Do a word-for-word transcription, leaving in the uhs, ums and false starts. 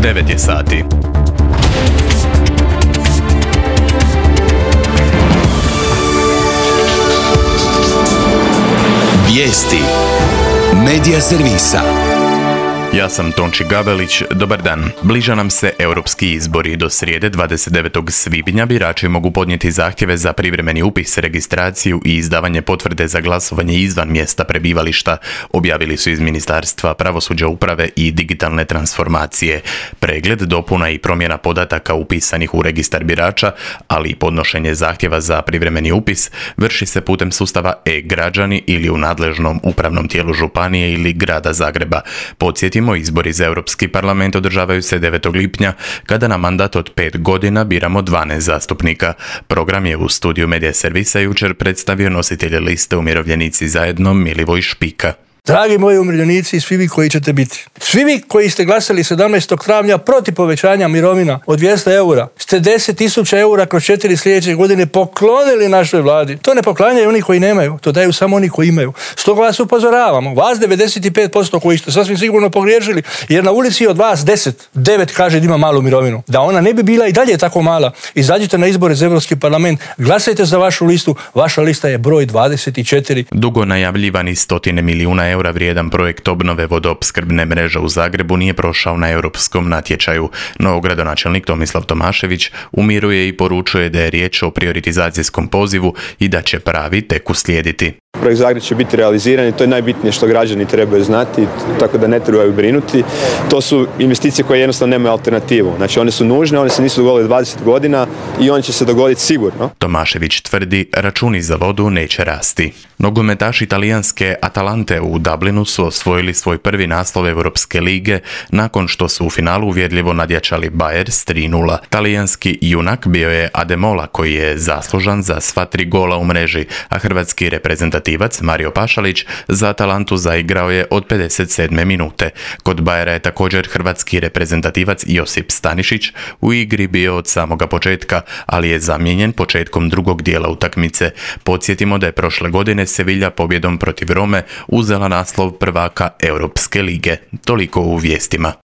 devet je sati. Vijesti Medija servisa. Ja sam Tonči Gabelić, dobar dan. Bliža nam se europski izbori. Do srijede dvadeset devetog svibnja birači mogu podnijeti zahtjeve za privremeni upis, registraciju i izdavanje potvrde za glasovanje izvan mjesta prebivališta, objavili su iz Ministarstva pravosuđa, uprave i digitalne transformacije. Pregled, dopuna i promjena podataka upisanih u registar birača, ali i podnošenje zahtjeva za privremeni upis vrši se putem sustava e-građani ili u nadležnom upravnom tijelu županije ili grada Zagreba. Podsjetimo, izbori za Europski parlament održavaju se devetog lipnja, kada na mandat od pet godina biramo dvanaest zastupnika. Program je u studiju Medija servisa jučer predstavio nositelj liste Umirovljenici zajedno Milivoj Špika. Dragi moji umirovljenici i svi vi koji ćete biti, svi vi koji ste glasali sedamnaestog travnja protiv povećanja mirovina od dvjesto eura, ste deset tisuća eura kroz četiri sljedeće godine poklonili našoj vladi. To ne poklanjaju oni koji nemaju, to daju samo oni koji imaju. Stoga vas upozoravamo, vas devedeset pet posto koji ste sasvim sigurno pogriješili, jer na ulici od vas deset, devet kaže da ima malu mirovinu. Da ona ne bi bila i dalje tako mala, izađite na izbore za Europski parlament, glasajte za vašu listu, vaša lista je broj dvadeset četiri. Dugo najavljivani stotine milijuna eura vrijedan projekt obnove vodoopskrbne mreže u Zagrebu nije prošao na europskom natječaju, no gradonačelnik Tomislav Tomašević umiruje i poručuje da je riječ o prioritizacijskom pozivu i da će pravi tek uslijediti. Projekt Zagreb će biti realiziran i to je najbitnije što građani trebaju znati, tako da ne trebaju brinuti. To su investicije koje jednostavno nemaju alternativu. Znači one su nužne, one se nisu dogodile dvadeset godina i one će se dogoditi sigurno. Tomašević tvrdi, računi za vodu neće rasti. Nogometaši talijanske Atalante u Dublinu su osvojili svoj prvi naslov Europske lige nakon što su u finalu uvjerljivo nadjačali Bayer s tri nula. Talijanski junak bio je Ademola, koji je zaslužan za sva tri gola u mreži, a hrvatski reprezentativac Mario Pašalić za Atalantu zaigrao je od pedeset sedme minute. Kod Bayera je također hrvatski reprezentativac Josip Stanišić u igri bio od samoga početka, ali je zamijenjen početkom drugog dijela utakmice. Podsjetimo da je prošle godine Sevilla pobjedom protiv Rome uzela naslov prvaka Europske lige. Toliko u vijestima.